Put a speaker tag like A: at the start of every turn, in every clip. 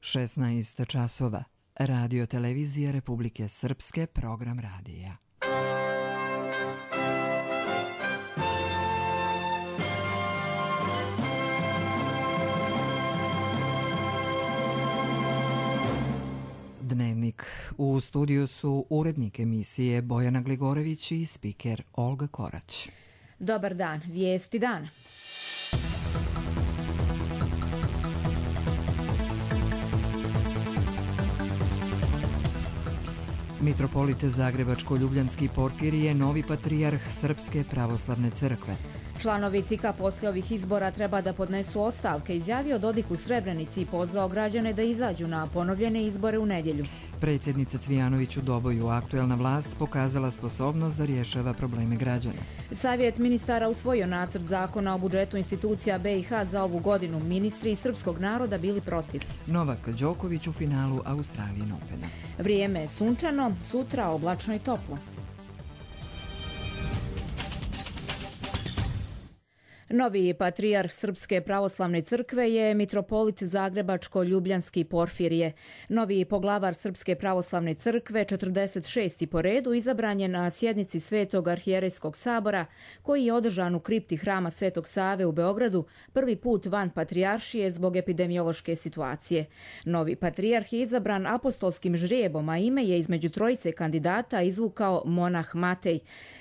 A: 16 časova. Radio televizija Republike Srpske, program radija. Dnevnik. U studiju su urednik emisije Bojana Gligorević i spiker Olga Korać.
B: Dobar dan, vijesti dana.
A: Mitropolit Zagrebačko-Ljubljanski Porfirije, novi patrijarh Srpske pravoslavne crkve.
B: Članovi CIK-a poslije ovih izbora treba da podnesu ostavke, izjavio Dodik u Srebrenici i pozvao građane da izađu na ponovljene izbore u nedjelju.
A: Predsjednica Cvijanović u Doboju, aktuelna vlast pokazala sposobnost da rješava probleme građana.
B: Savjet ministara usvojio nacrt zakona o budžetu institucija BiH za ovu godinu. Ministri iz srpskog naroda bili protiv.
A: Novak Đoković u finalu Australijan Opena.
B: Vrijeme je sunčano, sutra oblačno i toplo. Novi patrijarh Srpske pravoslavne crkve je mitropolit Zagrebačko-Ljubljanski Porfirije. Novi poglavar Srpske pravoslavne crkve, 46. po redu, izabran je na sjednici Svetog arhijerejskog sabora, koji je održan u kripti hrama Svetog Save u Beogradu, prvi put van patrijaršije zbog epidemiološke situacije. Novi patrijarh je izabran apostolskim žrijebom, a ime je između trojice kandidata izvukao monah Matej.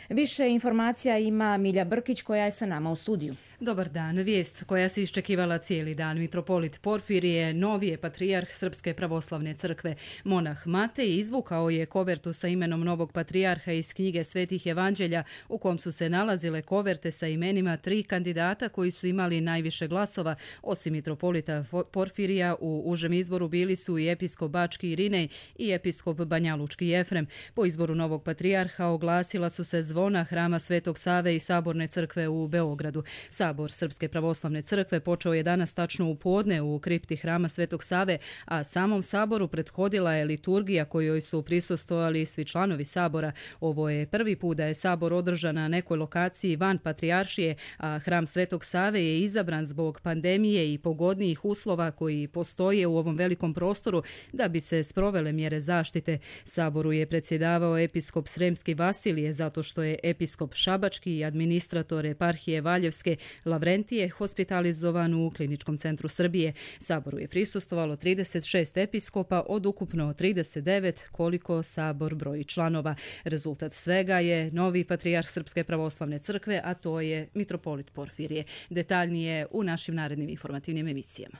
B: Više informacija ima Milja Brkić, koja je sa nama u studiju.
C: Dobar dan. Vijest koja se iščekivala cijeli dan. Mitropolit Porfirije, novi je patrijarh Srpske pravoslavne crkve. Monah Matej izvukao je kovertu sa imenom novog patrijarha iz knjige Svetih evanđelja, u kom su se nalazile koverte sa imenima 3 kandidata koji su imali najviše glasova. Osim mitropolita Porfirija, u užem izboru bili su i episkop Bački Irinej i episkop Banjalučki Jefrem. Po izboru novog patrijarha oglasila su se zvona hrama Svetog Save i Saborne crkve u Beogradu. Sabor Srpske pravoslavne crkve počeo je danas tačno u podne u kripti hrama Svetog Save, a samom saboru prethodila je liturgija kojoj su prisustvovali svi članovi sabora. Ovo je prvi put da je sabor održan na nekoj lokaciji van patrijaršije, a hram Svetog Save je izabran zbog pandemije i pogodnijih uslova koji postoje u ovom velikom prostoru da bi se sprovele mjere zaštite. Saboru je predsjedavao episkop Sremski Vasilije zato što je episkop Šabački i administrator eparhije Valjevske Lavrentije hospitalizovan u Kliničkom centru Srbije. Saboru je prisustvovalo 36 episkopa od ukupno 39 koliko sabor broji članova. Rezultat svega je novi patrijarh Srpske pravoslavne crkve, a to je mitropolit Porfirije. Detaljnije u našim narednim informativnim emisijama.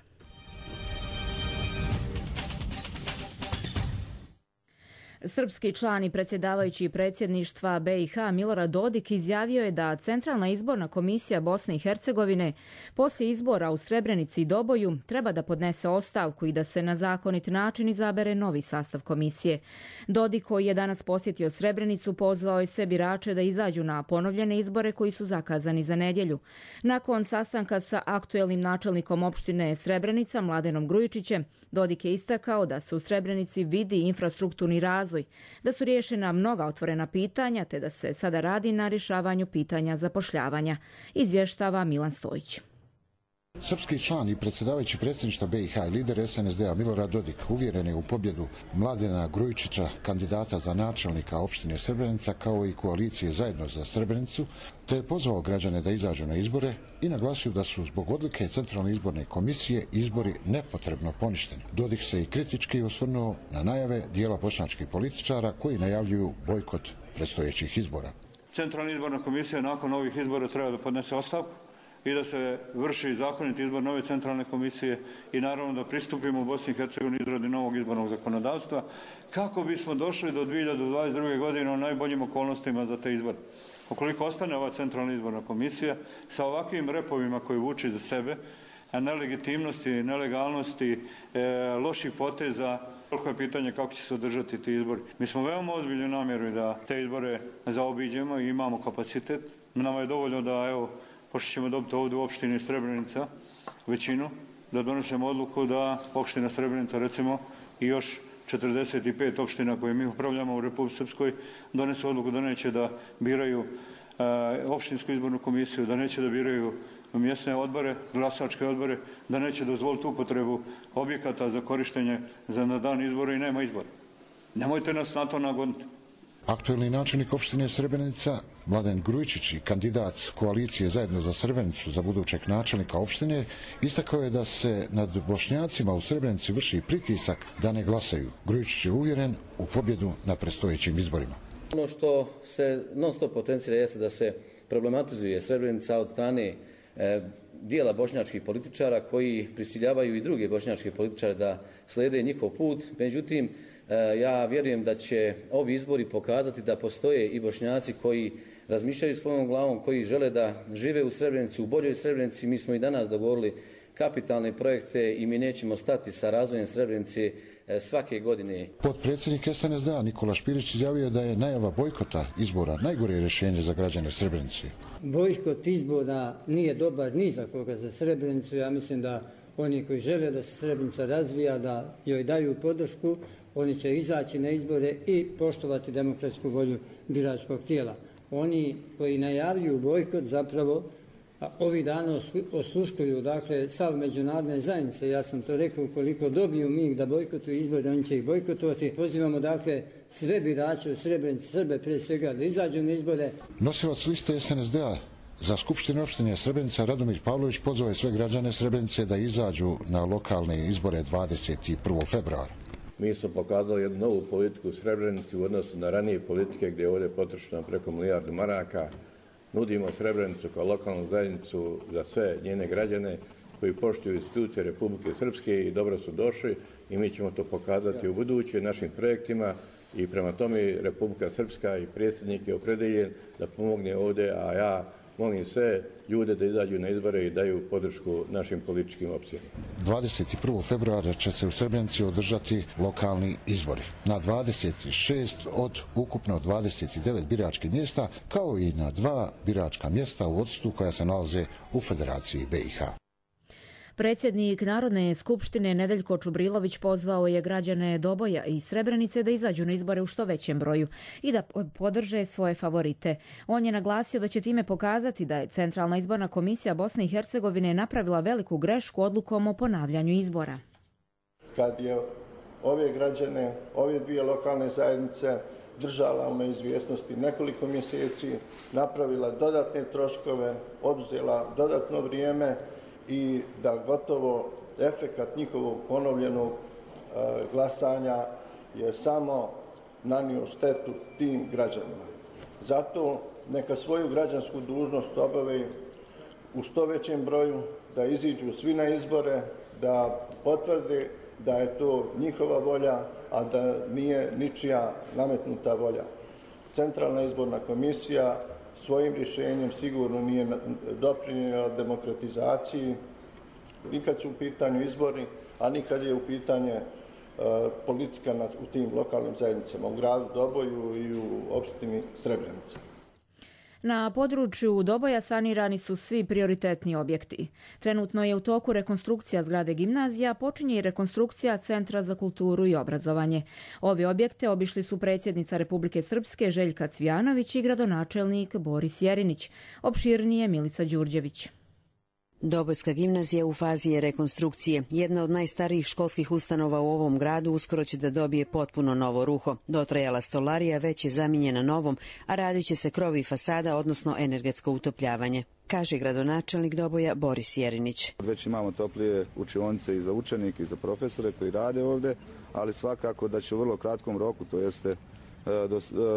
B: Srpski član i predsjedavajući predsjedništva BiH Milorad Dodik izjavio je da Centralna izborna komisija Bosne i Hercegovine poslije izbora u Srebrenici i Doboju treba da podnese ostavku i da se na zakonit način izabere novi sastav komisije. Dodik, koji je danas posjetio Srebrenicu, pozvao je sve birače da izađu na ponovljene izbore koji su zakazani za nedjelju. Nakon sastanka sa aktuelnim načelnikom opštine Srebrenica Mladenom Grujičićem, Dodik je istakao da se u Srebrenici vidi infrastrukturni razvoj, da su riješena mnoga otvorena pitanja, te da se sada radi na rješavanju pitanja zapošljavanja, izvještava Milan Stojić.
D: Srpski član i predsjedavajući predsjedništva BiH i lider SNSD-a Milorad Dodik uvjeren je u pobjedu Mladena Grujičića, kandidata za načelnika opštine Srebrenica, kao i koalicije Zajedno za Srebrenicu, te je pozvao građane da izađu na izbore i naglasio da su zbog odluke Centralne izborne komisije izbori nepotrebno poništeni. Dodik se i kritički osvrnuo na najave dijela bošnjačkih političara koji najavljuju bojkot predstojećih izbora.
E: Centralna izborna komisija nakon ovih izbora treba da podnese ostavku i da se vrši zakoniti izbor nove centralne komisije i naravno da pristupimo u Bosni i Hercegovini izradi novog izbornog zakonodavstva kako bismo došli do 2022. godine u najboljim okolnostima za te izbore. Ukoliko ostane ova centralna izborna komisija sa ovakvim repovima koji vuče za sebe, nelegitimnosti, nelegalnosti, loših poteza, koliko je pitanje kako će se održati ti izbori. Mi smo veoma ozbiljni namjeru da te izbore zaobiđemo i imamo kapacitet. Nama je dovoljno da, evo, pošto ćemo dobiti ovdje u opštini Srebrenica većinu, da donesemo odluku da opština Srebrenica, recimo, i još 45 opština koje mi upravljamo u Republici Srpskoj donesu odluku da neće da biraju opštinsku izbornu komisiju, da neće da biraju mjesne odbore, glasačke odbore, da neće dozvoliti upotrebu objekata za korištenje na dan izbora i nema izbora. Nemojte nas na to nagoniti.
D: Aktuelni načelnik opštine Srebrenica, Mladen Grujičić i kandidat koalicije Zajedno za Srebrenicu za budućeg načelnika opštine, istakao je da se nad Bošnjacima u Srebrenici vrši pritisak da ne glasaju. Grujičić je uvjeren u pobjedu na predstojećim izborima.
F: Ono što se non stop potencira jeste da se problematizuje Srebrenica od strane dijela bošnjačkih političara koji prisiljavaju i druge bošnjačke političare da slijede njihov put. Međutim, ja vjerujem da će ovi izbori pokazati da postoje i Bošnjaci koji razmišljaju svojom glavom, koji žele da žive u Srebrenici, u boljoj Srebrenici. Mi smo i danas dogovorili kapitalne projekte i mi nećemo stati sa razvojem Srebrenice svake godine.
D: Potpredsjednik SNSD Nikola Špirić izjavio da je najava bojkota izbora najgore rješenje za građane Srebrenice.
G: Bojkot izbora nije dobar ni za koga za Srebrenicu. Ja mislim da oni koji žele da se Srebrenica razvija, da joj daju podršku, oni će izaći na izbore i poštovati demokratsku volju biračkog tijela. Oni koji najavljuju bojkot zapravo ovih dana osluškuju stav međunarodne zajednice. Ja sam to rekao, ukoliko dobiju mig da bojkotuju izbore, oni će ih bojkotovati. Pozivamo sve birače u Srebrenici, Srbe prije svega, da izađu na izbore.
D: Nosilac liste SNSD za Skupštinu opštine Srebrenica Radomir Pavlović pozvao je sve građane Srebrenice da izađu na lokalne izbore 21. februara.
H: Mi smo pokazali jednu novu politiku u Srebrenici u odnosu na ranije politike gdje je ovdje potrošeno preko milijardu maraka. Nudimo Srebrenicu kao lokalnu zajednicu za sve njene građane koji poštuju institucije Republike Srpske i dobro su došli i mi ćemo to pokazati u buduće našim projektima i prema tome Republika Srpska i predsjednik je opredeljen da pomogne ovdje, a ja molim sve ljude da izađu na izbore i daju podršku našim političkim opcijama.
D: 21. februara će se u Srebrenici održati lokalni izbori. Na 26 od ukupno 29 biračkih mjesta, kao i na 2 biračka mjesta u vodstvu koja se nalaze u Federaciji BiH.
B: Predsjednik Narodne skupštine Nedeljko Čubrilović pozvao je građane Doboja i Srebrenice da izađu na izbore u što većem broju i da podrže svoje favorite. On je naglasio da će time pokazati da je Centralna izborna komisija Bosne i Hercegovine napravila veliku grešku odlukom o ponavljanju izbora.
I: Kad je ove građane, ove dvije lokalne zajednice držala u neizvjesnosti nekoliko mjeseci, napravila dodatne troškove, oduzela dodatno vrijeme i da gotovo efekat njihovog ponovljenog glasanja je samo nanio štetu tim građanima. Zato neka svoju građansku dužnost obave u što većem broju, da iziđu svi na izbore, da potvrde da je to njihova volja, a da nije ničija nametnuta volja. Centralna izborna komisija svojim rješenjem sigurno nije doprinijela demokratizaciji, nikad su u pitanju izbori, a nikad je u pitanje politika u tim lokalnim zajednicama, u gradu Doboju i u opštini Srebrenica.
B: Na području Doboja sanirani su svi prioritetni objekti. Trenutno je u toku rekonstrukcija zgrade gimnazija, počinje i rekonstrukcija Centra za kulturu i obrazovanje. Ovi objekte obišli su predsjednica Republike Srpske Željka Cvijanović i gradonačelnik Boris Jerinić. Opširnije Milica Đurđević.
J: Dobojska gimnazija u fazi je rekonstrukcije. Jedna od najstarijih školskih ustanova u ovom gradu uskoro će da dobije potpuno novo ruho. Dotrajala stolarija već je zamijenjena novom, a radit će se krov i fasada, odnosno energetsko utopljavanje, kaže gradonačelnik Doboja Boris Jerinić.
K: Već imamo toplije učionice i za učenike i za profesore koji rade ovdje, ali svakako da će u vrlo kratkom roku, to jeste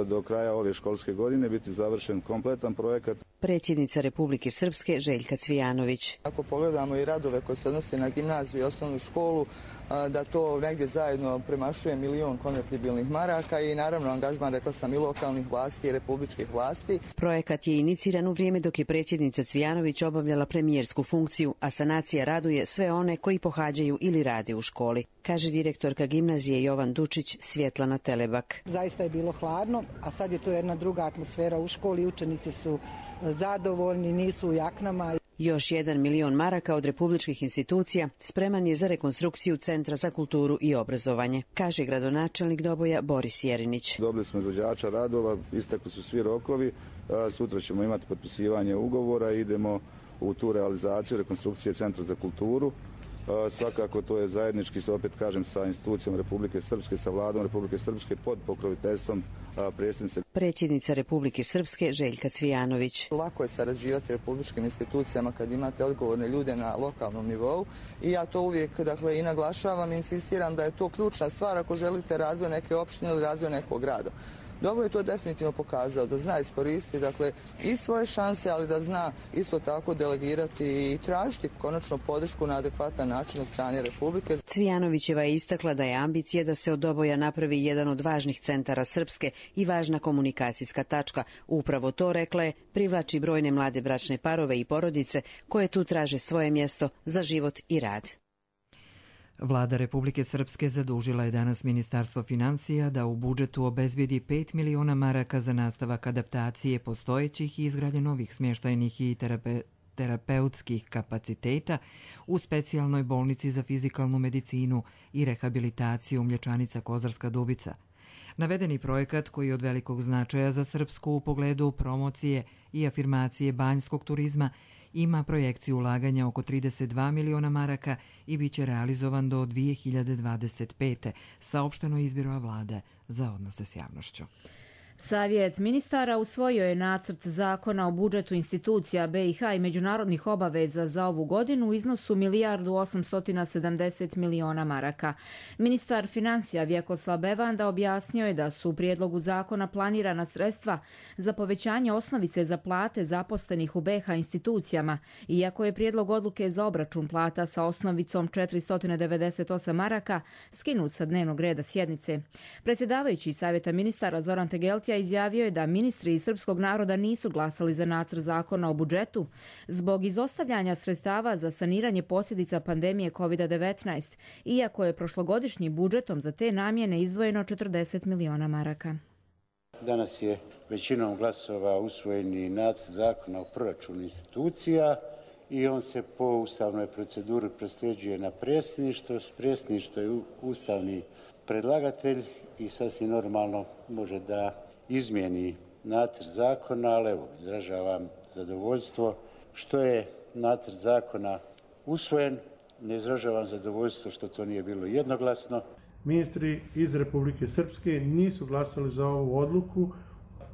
K: do kraja ove školske godine, biti završen kompletan projekat.
J: Predsjednica Republike Srpske Željka Cvijanović.
L: Ako pogledamo i radove koji se odnose na gimnaziju i osnovnu školu, da to negdje zajedno premašuje 1 milion konvertibilnih maraka i naravno angažman, rekla sam, i lokalnih vlasti i republičkih vlasti.
J: Projekat je iniciran u vrijeme dok je predsjednica Cvijanović obavljala premijersku funkciju, a sanacija raduje sve one koji pohađaju ili rade u školi, kaže direktorka gimnazije Jovan Dučić Svjetlana Telebak.
M: Zaista je bilo hladno, a sad je to jedna druga atmosfera u školi, učenici su zadovoljni, nisu u jaknama.
J: Još 1 milion maraka od republičkih institucija spreman je za rekonstrukciju Centra za kulturu i obrazovanje, kaže gradonačelnik Doboja Boris Jerinić.
K: Dobili smo izvođača radova, istekli su svi rokovi, sutra ćemo imati potpisivanje ugovora i idemo u tu realizaciju rekonstrukcije Centra za kulturu. Svakako to je zajednički, opet kažem, sa institucijom Republike Srpske, sa vladom Republike Srpske pod pokroviteljstvom
J: predsjednica Republike Srpske Željka Cvijanović.
L: Lako je sarađivati republičkim institucijama kad imate odgovorne ljude na lokalnom nivou i ja to uvijek i naglašavam i insistiram da je to ključna stvar ako želite razvoj neke opštine ili razvoj nekog grada. Dobro je to definitivno pokazao, da zna iskoristiti i svoje šanse, ali da zna isto tako delegirati i tražiti konačno podršku na adekvatan način od strane Republike.
J: Cvijanovićeva je istakla da je ambicija da se od Doboja napravi jedan od važnih centara Srpske i važna komunikacijska tačka. Upravo to, rekla je, privlači brojne mlade bračne parove i porodice koje tu traže svoje mjesto za život i rad.
A: Vlada Republike Srpske zadužila je danas Ministarstvo financija da u budžetu obezbijedi 5 miliona maraka za nastavak adaptacije postojećih i izgradnje novih smještajnih i terapeutskih kapaciteta u specijalnoj bolnici za fizikalnu medicinu i rehabilitaciju Mlječanica Kozarska Dubica. Navedeni projekat, koji je od velikog značaja za Srpsku u pogledu promocije i afirmacije banjskog turizma, ima projekciju ulaganja oko 32 miliona maraka i bit će realizovan do 2025. saopšteno iz Biroa vlade za odnose s javnošću.
B: Savjet ministara usvojio je nacrt zakona o budžetu institucija BiH i međunarodnih obaveza za ovu godinu u iznosu 1.870 miliona maraka. Ministar financija Vjekoslav Bevanda objasnio je da su u prijedlogu zakona planirana sredstva za povećanje osnovice za plate zaposlenih u BiH institucijama, iako je prijedlog odluke za obračun plata sa osnovicom 498 maraka skinut sa dnevnog reda sjednice. Predsjedavajući Savjeta ministara Zoran Tegeltija izjavio je da ministri iz srpskog naroda nisu glasali za nacrt zakona o budžetu zbog izostavljanja sredstava za saniranje posljedica pandemije COVID-19, iako je prošlogodišnjim budžetom za te namjene izdvojeno 40 miliona maraka.
N: Danas je većinom glasova usvojeni nacrt zakona o proračunu institucija i on se po ustavnoj proceduri prosljeđuje na predsjedništvo. Predsjedništvo je ustavni predlagatelj i sasvim normalno može da izmijeni nacrt zakona, ali evo, izražavam zadovoljstvo što je nacrt zakona usvojen. Ne izražavam zadovoljstvo što to nije bilo jednoglasno.
O: Ministri iz Republike Srpske nisu glasali za ovu odluku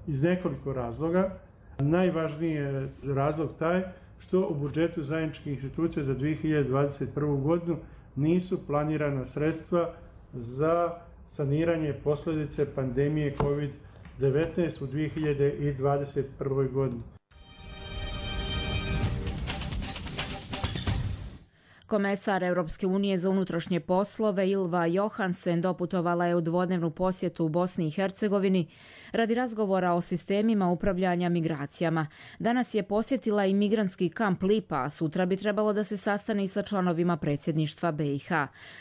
O: iz nekoliko razloga. Najvažniji je razlog taj što u budžetu zajedničkih institucija za 2021. godinu nisu planirana sredstva za saniranje posljedice pandemije COVID-19 u 2021. godini.
B: Komesar Europske unije za unutrašnje poslove Ylva Johansen doputovala je u dvodnevnu posjetu u Bosni i Hercegovini radi razgovora o sistemima upravljanja migracijama. Danas je posjetila i migrantski kamp Lipa, a sutra bi trebalo da se sastane i sa članovima predsjedništva BiH.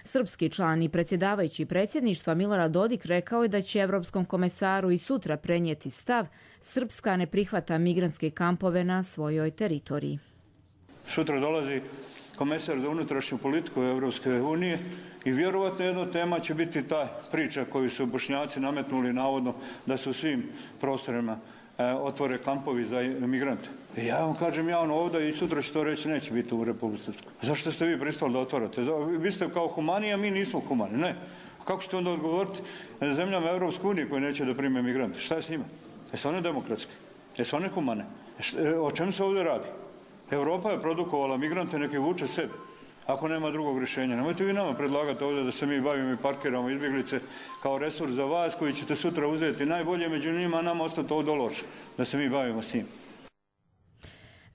B: Srpski član i predsjedavajući predsjedništva Milorad Dodik rekao je da će Europskom komesaru i sutra prenijeti stav: Srpska ne prihvata migrantske kampove na svojoj teritoriji.
E: Sutra dolazi komesar za unutrašnju politiku Europske unije i vjerovatno jedna tema će biti ta priča koju su Bošnjaci nametnuli navodno da su u svim prostorima otvore kampovi za migrante. I ja vam kažem javno ovdje i sutra će to reći, neće biti u Republici Srpskoj. Zašto ste vi pristali da otvarate? Vi ste kao humani, a mi nismo humani. Ne. Kako ćete onda odgovoriti zemljama Europske unije koje neće da prime migrante? Šta je s njima? Jesu one demokratske? Jesu one humane? O čemu se ovdje radi? Europa je produkovala migrante, neki vuče sebi, ako nema drugog rješenja. Nemojte vi nama predlagati ovdje da se mi bavimo i parkiramo izbjeglice kao resurs za vas koji ćete sutra uzeti najbolje među njima, a nama ostati ovdje loše, da se mi bavimo s njim.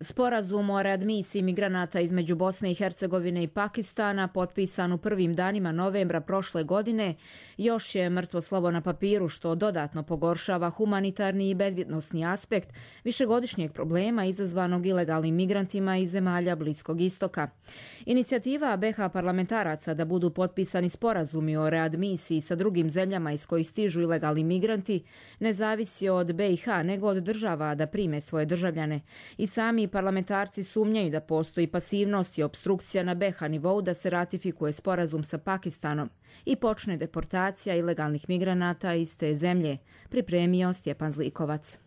B: Sporazum o readmisiji migranata između Bosne i Hercegovine i Pakistana, potpisan u prvim danima novembra prošle godine, još je mrtvo slovo na papiru, što dodatno pogoršava humanitarni i bezbjednosni aspekt višegodišnjeg problema izazvanog ilegalnim migrantima iz zemalja Bliskog istoka. Inicijativa BiH parlamentaraca da budu potpisani sporazumi o readmisiji sa drugim zemljama iz kojih stižu ilegalni migranti ne zavisi od BiH nego od država da prime svoje državljane. I sami parlamentarci sumnjaju da postoji pasivnost i opstrukcija na BiH nivou da se ratifikuje sporazum sa Pakistanom i počne deportacija ilegalnih migranata iz te zemlje, pripremio Stjepan Zlikovac.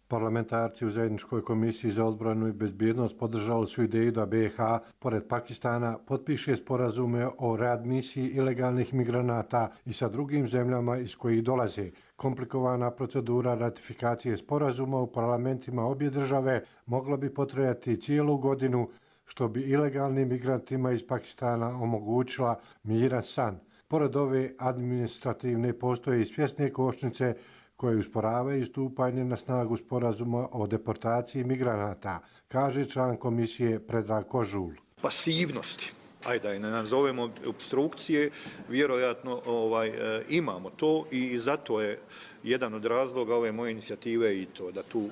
P: Parlamentarci u Zajedničkoj komisiji za odbranu i bezbjednost podržali su ideju da BiH, pored Pakistana, potpiše sporazume o readmisiji ilegalnih migranata i sa drugim zemljama iz kojih dolaze. Komplikovana procedura ratifikacije sporazuma u parlamentima obje države mogla bi potrajati cijelu godinu, što bi ilegalnim migrantima iz Pakistana omogućila miran san. Pored ove administrativne postoje i svjesne kočnice koje usporavaju stupanje na snagu sporazuma o deportaciji migranata, kaže član komisije Predrag Kožul.
Q: Pasivnosti, ajde da ne nazovemo obstrukcije, vjerojatno imamo to i zato je jedan od razloga ove moje inicijative i to da tu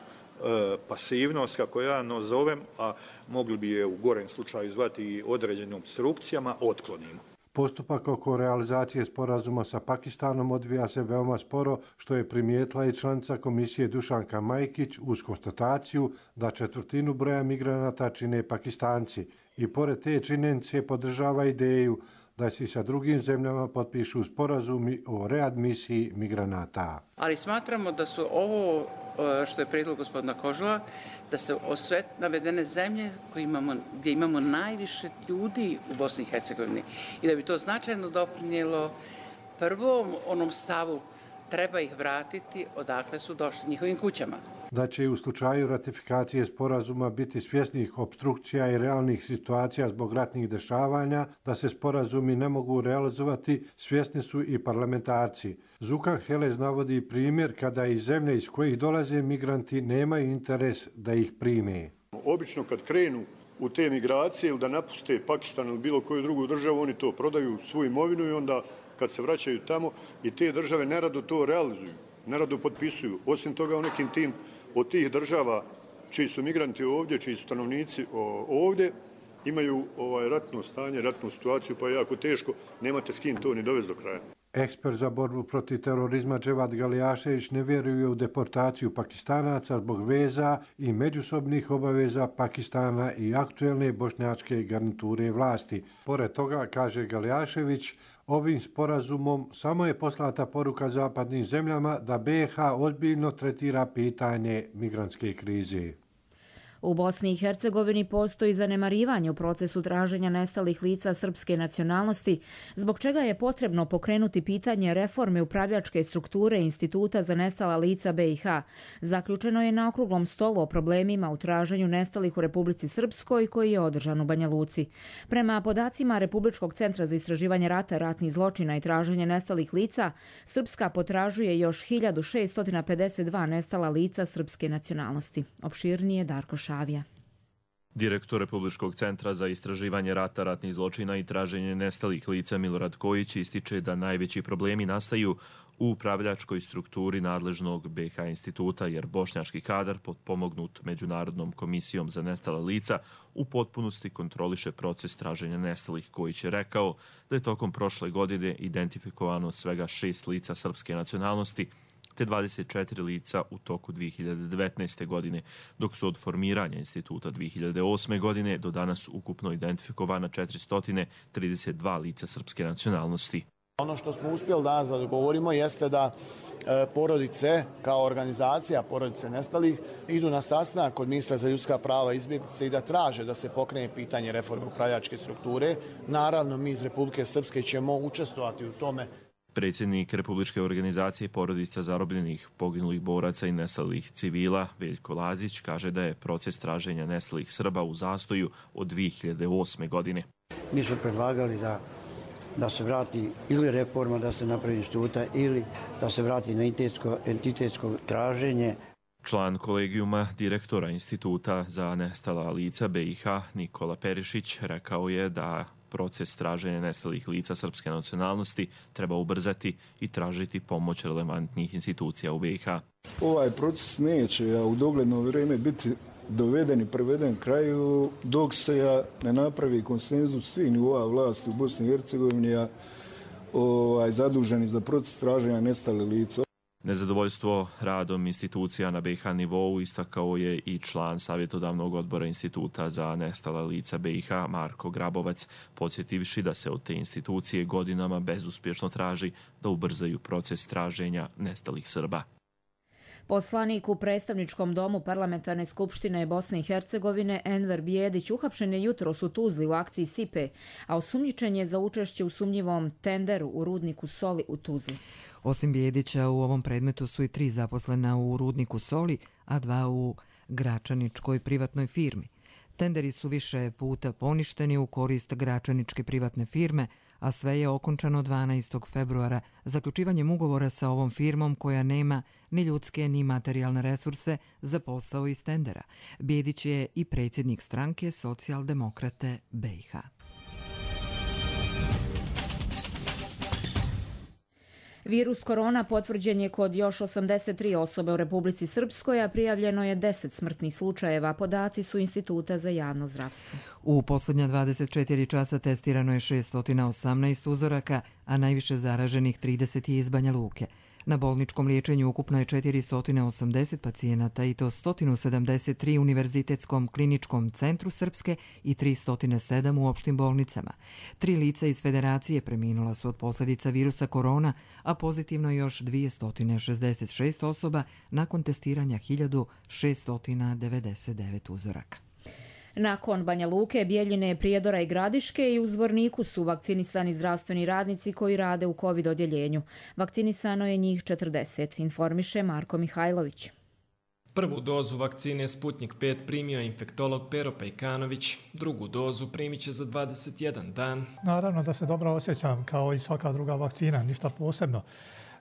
Q: pasivnost, kako ja nazovem, a mogli bi je u gorem slučaju zvati i određenim obstrukcijama, otklonimo.
P: Postupak oko realizacije sporazuma sa Pakistanom odvija se veoma sporo, što je primijetila i članica komisije Dušanka Majkić uz konstataciju da 1/4 broja migranata čine Pakistanci. I pored te činjenice podržava ideju da se sa drugim zemljama potpišu sporazumi o readmisiji migranata.
R: Ali smatramo da su ovo što je prijedlog gospodina Kožula, da se sve navedene zemlje gdje imamo najviše ljudi u Bosni i Hercegovini i da bi to značajno doprinijelo prvom onom stavu treba ih vratiti odakle su došli njihovim kućama.
P: Da će u slučaju ratifikacije sporazuma biti svjesnih opstrukcija i realnih situacija zbog ratnih dešavanja, da se sporazumi ne mogu realizovati, svjesni su i parlamentarci. Zukan Helez navodi primjer kada iz zemlje iz kojih dolaze migranti nemaju interes da ih prime.
Q: Obično kad krenu u te migracije ili da napuste Pakistan ili bilo koju drugu državu, oni to prodaju svoju imovinu i onda kad se vraćaju tamo i te države nerado to realizuju, nerado potpisuju. Osim toga u nekim tim od tih država čiji su migranti ovdje, čiji su stanovnici ovdje, imaju ratno stanje, ratnu situaciju, pa je jako teško, nemate s kim to ni dovesti do kraja.
P: Ekspert za borbu protiv terorizma Dževad Galijašević ne vjeruje u deportaciju Pakistanaca zbog veza i međusobnih obaveza Pakistana i aktuelne bošnjačke garniture vlasti. Pored toga, kaže Galijašević, ovim sporazumom samo je poslata poruka zapadnim zemljama da BiH ozbiljno tretira pitanje migrantske krize.
B: U Bosni i Hercegovini postoji zanemarivanje u procesu traženja nestalih lica srpske nacionalnosti, zbog čega je potrebno pokrenuti pitanje reforme upravljačke strukture Instituta za nestala lica BiH. Zaključeno je na okruglom stolu o problemima u traženju nestalih u Republici Srpskoj koji je održan u Banja Luci. Prema podacima Republičkog centra za istraživanje rata, ratnih zločina i traženje nestalih lica, Srpska potražuje još 1652 nestala lica srpske nacionalnosti. Opširnije Darko Šavija.
S: Direktor Republičkog centra za istraživanje rata, ratnih zločina i traženje nestalih lica Milorad Kojić ističe da najveći problemi nastaju u upravljačkoj strukturi nadležnog BiH instituta, jer bošnjački kadar, potpomognut Međunarodnom komisijom za nestala lica, u potpunosti kontroliše proces traženja nestalih. Kojić je rekao da je tokom prošle godine identifikovano svega 6 lica srpske nacionalnosti, te 24 lica u toku 2019. godine, dok su od formiranja instituta 2008. godine do danas ukupno identifikovana 432 lica srpske nacionalnosti.
T: Ono što smo uspjeli danas da dogovorimo jeste da porodice, kao organizacija porodice nestalih, idu na sastanak kod ministra za ljudska prava i izbjeglice i da traže da se pokrene pitanje reforme upravljačke strukture. Naravno, mi iz Republike Srpske ćemo učestvovati u tome.
S: Predsjednik Republičke organizacije porodica zarobljenih, poginulih boraca i nestalih civila, Veljko Lazić, kaže da je proces traženja nestalih Srba u zastoju od 2008. godine.
U: Mi smo predlagali da se vrati ili reforma, da se napravi instituta, ili da se vrati na entitetsko traženje.
S: Član kolegijuma direktora Instituta za nestala lica BiH, Nikola Perišić, rekao je da proces traženja nestalih lica srpske nacionalnosti treba ubrzati i tražiti pomoć relevantnih institucija u BiH.
V: Ovaj proces neće u dogledno vrijeme biti doveden i priveden kraju dok se ne napravi konsenzus svih nivoa vlasti u Bosni i Hercegovini zaduženi za proces traženja nestalih lica.
S: Nezadovoljstvo radom institucija na BiH nivou istakao je i član savjetodavnog odbora Instituta za nestala lica BiH Marko Grabovac, podsjetivši da se od te institucije godinama bezuspješno traži da ubrzaju proces traženja nestalih Srba.
B: Poslanik u predstavničkom domu Parlamentarne skupštine Bosne i Hercegovine Enver Bijedić uhapšen je jutros u Tuzli u akciji Sipe, a osumnjičen je za učešće u sumnjivom tenderu u rudniku soli u Tuzli.
A: Osim Bijedića, u ovom predmetu su i 3 zaposlena u rudniku soli, a 2 u gračaničkoj privatnoj firmi. Tenderi su više puta poništeni u korist gračaničke privatne firme, a sve je okončano 12. februara zaključivanjem ugovora sa ovom firmom koja nema ni ljudske ni materijalne resurse za posao iz tendera. Bijedić je i predsjednik stranke Socijaldemokrate BiH.
B: Virus korona potvrđen je kod još 83 osobe u Republici Srpskoj, a prijavljeno je 10 smrtnih slučajeva. Podaci su Instituta za javno zdravstvo.
A: U posljednja 24 časa testirano je 618 uzoraka, a najviše zaraženih 30 je iz Banja Luke. Na bolničkom liječenju ukupno je 480 pacijenata i to 173 u Univerzitetskom kliničkom centru Srpske i 307 u opštim bolnicama. 3 lica iz federacije preminula su od posljedica virusa korona, a pozitivno još 266 osoba nakon testiranja 1699 uzoraka.
B: Nakon Banja Luke, Bijeljine, Prijedora i Gradiške i u Zvorniku su vakcinisani zdravstveni radnici koji rade u COVID odjeljenju. Vakcinisano je njih 40, informiše Marko Mihajlović.
C: Prvu dozu vakcine Sputnik 5 primio je infektolog Pero Pejkanović, drugu dozu primit će za 21 dan.
F: Naravno da se dobro osjećam kao i svaka druga vakcina, ništa posebno.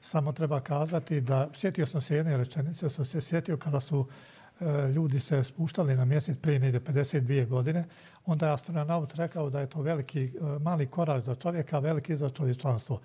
F: Samo treba kazati da sjetio sam se jedne rečenice, sam se sjetio kada su ljudi se spuštali na mjesec prije negdje 52 godine, onda je astronaut rekao da je to veliki, mali korak za čovjeka, veliki za čovječanstvo.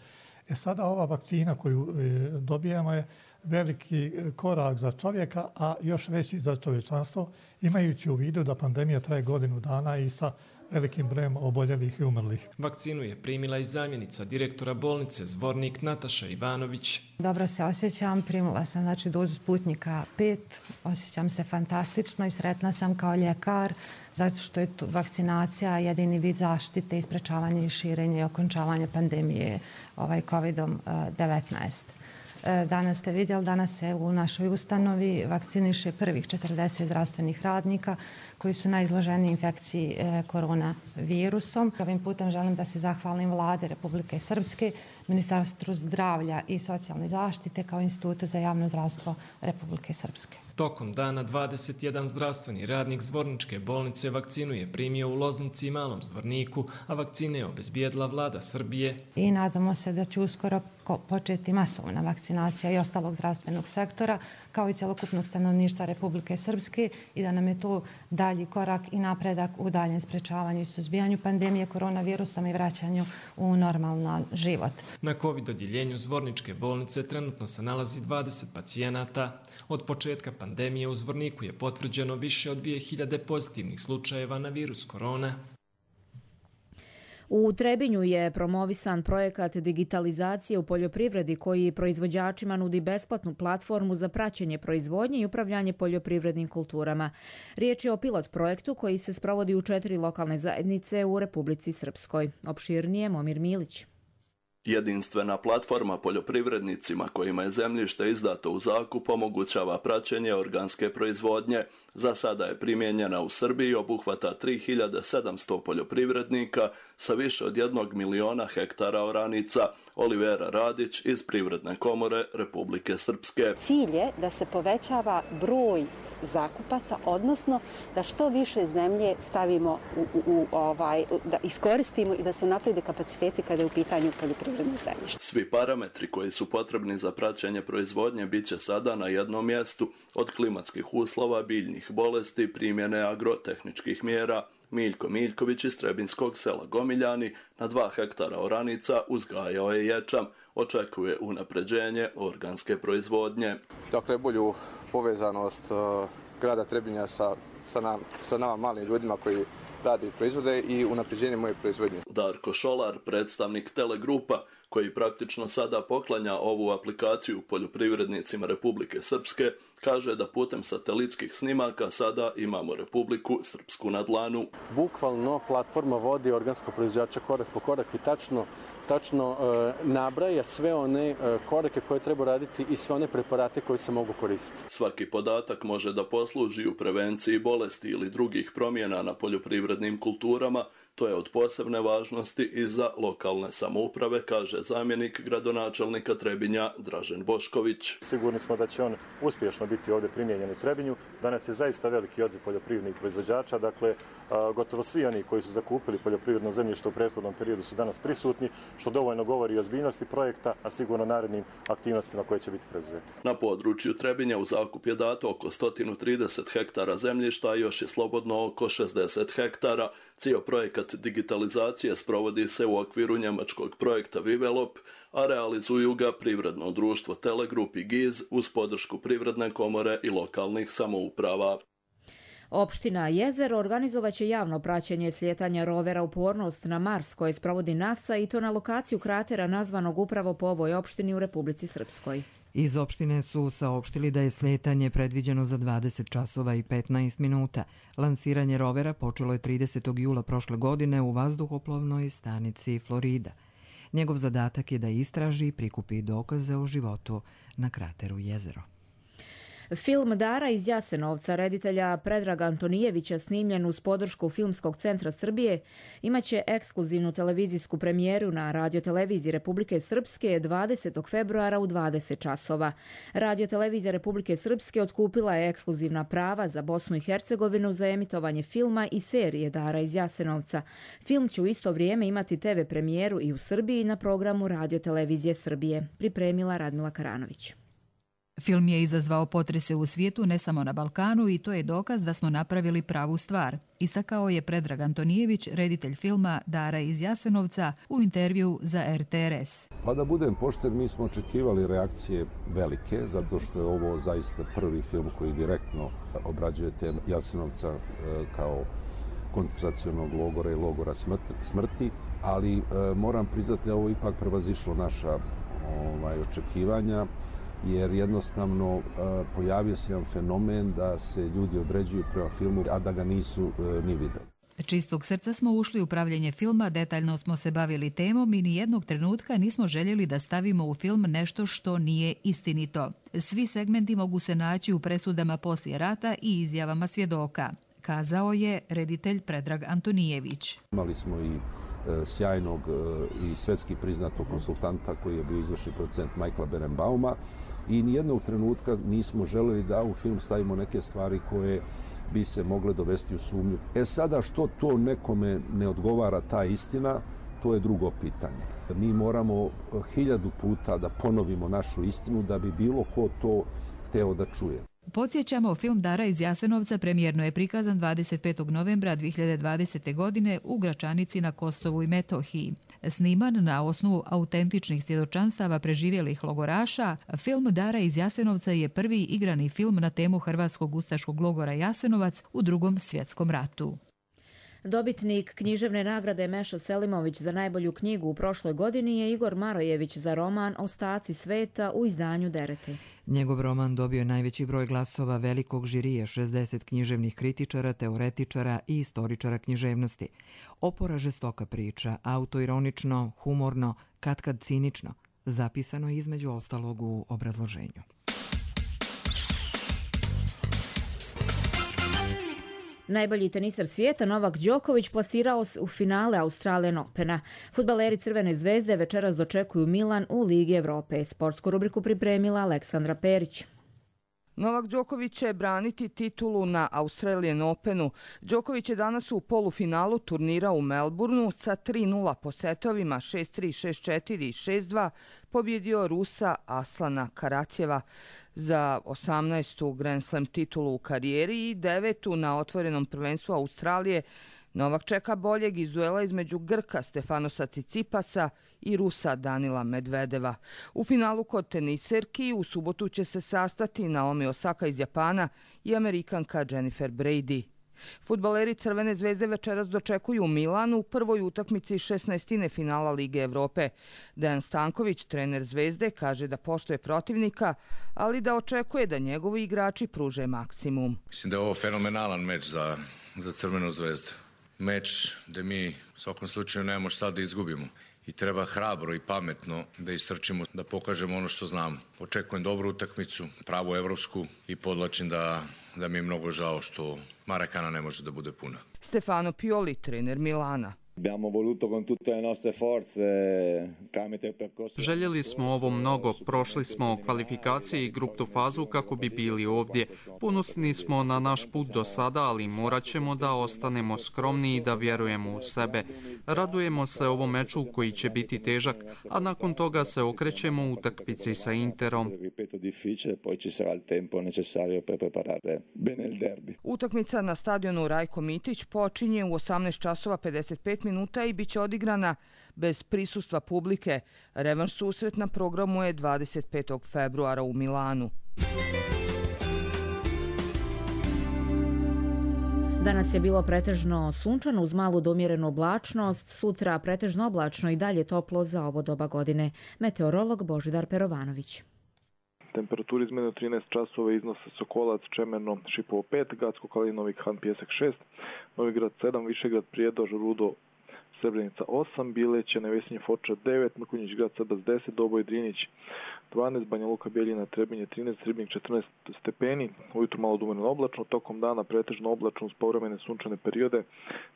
F: Sada ova vakcina koju dobijamo je veliki korak za čovjeka, a još veći za čovječanstvo, imajući u vidu da pandemija traje godinu dana i sa velikim brojem oboljelih i umrlih.
C: Vakcinu je primila i zamjenica direktora bolnice Zvornik Nataša Ivanović.
W: Dobro se osjećam, primila sam dozu Sputnika 5, osjećam se fantastično i sretna sam kao ljekar zato što je vakcinacija jedini vid zaštite i sprečavanje i širenje i okončavanje pandemije COVID-19. Danas ste vidjeli, danas se u našoj ustanovi vakciniše prvih 40 zdravstvenih radnika koji su najizloženiji infekciji koronavirusom. Ovim putem želim da se zahvalim Vlade Republike Srpske, Ministarstvu zdravlja i socijalne zaštite kao Institutu za javno zdravstvo Republike Srpske.
C: Tokom dana 21 zdravstveni radnik Zvorničke bolnice vakcinu je primio u Loznici i Malom Zvorniku, a vakcine je obezbijedila Vlada Srbije.
W: I nadamo se da će uskoro početi masovna vakcinacija i ostalog zdravstvenog sektora, kao i cjelokupnog stanovništva Republike Srpske i da nam je to dalji korak i napredak u daljem sprečavanju i suzbijanju pandemije koronavirusom i vraćanju u normalan život.
C: Na COVID odjeljenju Zvorničke bolnice trenutno se nalazi 20 pacijenata. Od početka pandemije u Zvorniku je potvrđeno više od 2000 pozitivnih slučajeva na virus korona.
B: U Trebinju je promovisan projekat digitalizacije u poljoprivredi koji proizvođačima nudi besplatnu platformu za praćenje proizvodnje i upravljanje poljoprivrednim kulturama. Riječ je o pilot projektu koji se sprovodi u 4 lokalne zajednice u Republici Srpskoj. Opširnije Momir Milić.
X: Jedinstvena platforma poljoprivrednicima kojima je zemljište izdato u zakup omogućava praćenje organske proizvodnje. Za sada je primijenjena u Srbiji, obuhvata 3700 poljoprivrednika sa više od 1 miliona hektara oranica. Olivera Radić iz Privredne komore Republike Srpske.
Y: Cilj je da se povećava broj zakupaca, odnosno da što više zemlje stavimo da iskoristimo i da se naprede kapaciteti kada je u pitanju poljoprivredno zemljište.
X: Svi parametri koji su potrebni za praćenje proizvodnje bit će sada na jednom mjestu, od klimatskih uslova, biljnih bolesti, primjene agrotehničkih mjera. Miljko Miljković iz Trebinskog sela Gomiljani na 2 hektara oranica uzgajao je ječam. Očekuje unapređenje organske proizvodnje.
Z: Dakle, bolju povezanost grada Trebinja sa nama malim ljudima koji rade i proizvode i unapređenje moje proizvodnje.
X: Darko Šolar, predstavnik Telegrupa, koji praktično sada poklanja ovu aplikaciju poljoprivrednicima Republike Srpske, kaže da putem satelitskih snimaka sada imamo Republiku Srpsku na dlanu.
Z: Bukvalno platforma vodi organskog proizvođača korak po korak i tačno
D: tačno nabraja sve one korake koje treba raditi i sve one preparate koji se mogu koristiti.
X: Svaki podatak može da posluži u prevenciji bolesti ili drugih promjena na poljoprivrednim kulturama. To je od posebne važnosti i za lokalne samouprave, kaže zamjenik gradonačelnika Trebinja Dražen Bošković.
G: Sigurni smo da će on uspješno biti ovdje primijenjen u Trebinju. Danas je zaista veliki odziv poljoprivrednih proizvođača. Dakle, gotovo svi oni koji su zakupili poljoprivredno zemljište u prethodnom periodu su danas prisutni, što dovoljno govori o ozbiljnosti projekta, a sigurno narednim aktivnostima koje će biti preuzeti.
X: Na području Trebinja u zakup je dato oko 130 hektara zemljišta, a još je slobodno oko 60 hektara. Cijel projekat digitalizacije sprovodi se u okviru njemačkog projekta Vivelop, a realizuju ga privredno društvo Telegrup i GIZ uz podršku Privredne komore i lokalnih samouprava.
B: Opština Jezero organizovaće javno praćenje slijetanja rovera Upornost na Mars koje sprovodi NASA i to na lokaciju kratera nazvanog upravo po ovoj opštini u Republici Srpskoj.
A: Iz opštine su saopštili da je slijetanje predviđeno za 20 časova i 15 minuta. Lansiranje rovera počelo je 30. jula prošle godine u vazduhoplovnoj stanici Florida. Njegov zadatak je da istraži i prikupi dokaze o životu na krateru Jezero.
B: Film Dara iz Jasenovca reditelja Predraga Antonijevića snimljen uz podršku Filmskog centra Srbije imaće ekskluzivnu televizijsku premijeru na radioteleviziji Republike Srpske 20. februara u 20 časova. Radiotelevizija Republike Srpske otkupila je ekskluzivna prava za Bosnu i Hercegovinu za emitovanje filma i serije Dara iz Jasenovca. Film će u isto vrijeme imati TV premijeru i u Srbiji na programu Radiotelevizije Srbije, pripremila Radmila Karanović.
H: Film je izazvao potrese u svijetu, ne samo na Balkanu, i to je dokaz da smo napravili pravu stvar, istakao je Predrag Antonijević, reditelj filma Dara iz Jasenovca, u intervju za RTRS.
I: Pa da budem pošten, mi smo očekivali reakcije velike, zato što je ovo zaista prvi film koji direktno obrađuje temu Jasenovca kao koncentracionog logora i logora smrti, ali moram priznati da ovo ipak prevazišlo naša očekivanja, jer jednostavno pojavio se jedan fenomen da se ljudi određuju prema filmu, a da ga nisu ni videli.
H: Čistog srca smo ušli u pravljenje filma, detaljno smo se bavili temom i nijednog trenutka nismo željeli da stavimo u film nešto što nije istinito. Svi segmenti mogu se naći u presudama poslije rata i izjavama svjedoka, kazao je reditelj Predrag Antonijević.
I: Imali smo i sjajnog i svetski priznatog konsultanta koji je bio izvršni producent Michaela Berenbauma i nijednog trenutka nismo želeli da u film stavimo neke stvari koje bi se mogle dovesti u sumnju. Sada što to nekome ne odgovara ta istina, to je drugo pitanje. Mi moramo 1000 puta da ponovimo našu istinu da bi bilo ko to hteo da čuje.
H: Podsjećamo, film Dara iz Jasenovca premijerno je prikazan 25. novembra 2020. godine u Gračanici na Kosovu i Metohiji. Sniman na osnovu autentičnih svjedočanstava preživjelih logoraša, film Dara iz Jasenovca je prvi igrani film na temu hrvatskog ustaškog logora Jasenovac u Drugom svjetskom ratu.
B: Dobitnik književne nagrade Meša Selimović za najbolju knjigu u prošloj godini je Igor Marojević za roman Ostaci sveta u izdanju Derete.
A: Njegov roman dobio je najveći broj glasova velikog žirija, 60 književnih kritičara, teoretičara i istoričara književnosti. Opora žestoka priča, autoironično, humorno, katkad cinično, zapisano je između ostalog u obrazloženju.
B: Najbolji teniser svijeta Novak Đoković plasirao se u finale Australian Opena. Fudbaleri Crvene zvezde večeras dočekuju Milan u Ligi Evrope. Sportsku rubriku pripremila Aleksandra Perić.
K: Novak Đoković će braniti titulu na Australian Openu. Đoković je danas u polufinalu turnira u Melbourneu sa 3-0 po setovima 6-3, 6-4 i 6-2 pobjedio Rusa Aslana Karatjeva za 18. Grand Slam titulu u karijeri i 9. na otvorenom prvenstvu Australije. Novak čeka boljeg iz duela između Grka Stefanosa Cicipasa i Rusa Danila Medvedeva. U finalu kod teniserki u subotu će se sastati Naomi Osaka iz Japana i Amerikanka Jennifer Brady. Fudbaleri Crvene zvezde večeras dočekuju Milan u prvoj utakmici 16. finala Lige Evrope. Dejan Stanković, trener Zvezde, kaže da poštuje protivnika, ali da očekuje da njegovi igrači pruže maksimum.
M: Mislim da je ovo fenomenalan meč za Crvenu zvezdu. Meč gde mi u svakom slučaju nemamo šta da izgubimo. i treba hrabro i pametno da istrčimo, da pokažemo ono što znamo. Očekujem dobru utakmicu, pravu evropsku i podlačim da mi je mnogo žao što Marakana ne može da bude puna.
K: Stefano Pioli, trener Milana.
E: Željeli smo ovo mnogo, prošli smo kvalifikacije i grupnu fazu kako bi bili ovdje. Ponosni smo na naš put do sada, ali morat ćemo da ostanemo skromni i da vjerujemo u sebe. Radujemo se ovom meču koji će biti težak, a nakon toga se okrećemo u utakmici sa Interom.
K: Utakmica na stadionu Rajko Mitić počinje u 18:55 i bit će odigrana bez prisustva publike. Revanš susret na programu je 25. februara u Milanu.
B: Danas je bilo pretežno sunčano uz malu do umjerenu oblačnost, sutra pretežno oblačno i dalje toplo za ovo doba godine. Meteorolog Božidar Perovanović.
J: Temperaturi izmene od 13 časova iznose Sokolac, Čemerno, Šipovo 5, Gacko, Kalinovik, Han, Pjesak 6, Novigrad 7, Višegrad, Prijedor, Rudo, Srebrenica 8, Bileće, Nevesinje, Foča 9, Mrkonjić, Grad Srbas 10, Doboj, Drinić 12, Banja Luka, Bjeljina, Trebinje 13, Ribnik 14 stepeni, ujutru malo dumerno oblačno, tokom dana pretežno oblačno uz povremene sunčane periode,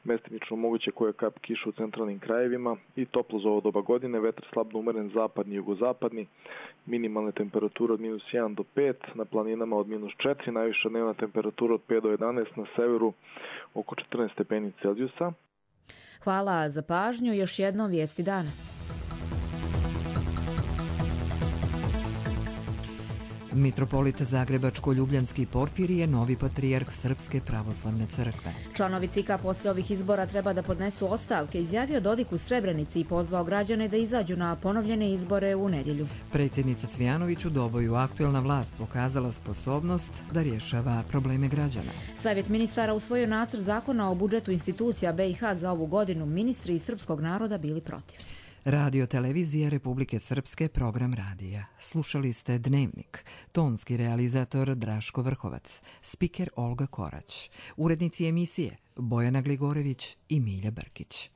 J: mestimično moguće koje kap kiša u centralnim krajevima i toplo za ovo doba godine, vetar slabno umeren zapadni i jugozapadni, minimalne temperature od -1 do 5, na planinama od -4, najviša dnevna temperatura od 5 do 11, na severu oko 14 stepeni Celzijusa.
B: Hvala za pažnju. Još jednom vijesti dana.
A: Mitropolit Zagrebačko-Ljubljanski Porfirije, novi patrijarh Srpske pravoslavne crkve.
B: Članovi CIK-a poslije ovih izbora treba da podnesu ostavke, izjavio Dodik u Srebrenici i pozvao građane da izađu na ponovljene izbore u nedjelju.
A: Predsjednica Cvijanović u Doboju aktuelna vlast pokazala sposobnost da rješava probleme građana.
B: Savjet ministara usvojio nacrt zakona o budžetu institucija BiH za ovu godinu. Ministri iz srpskog naroda bili protiv.
A: Radio televizija Republike Srpske, program radija. Slušali ste Dnevnik. Tonski realizator Draško Vrhovac. Spiker Olga Korać. Urednici emisije Bojana Gligorević i Milja Brkić.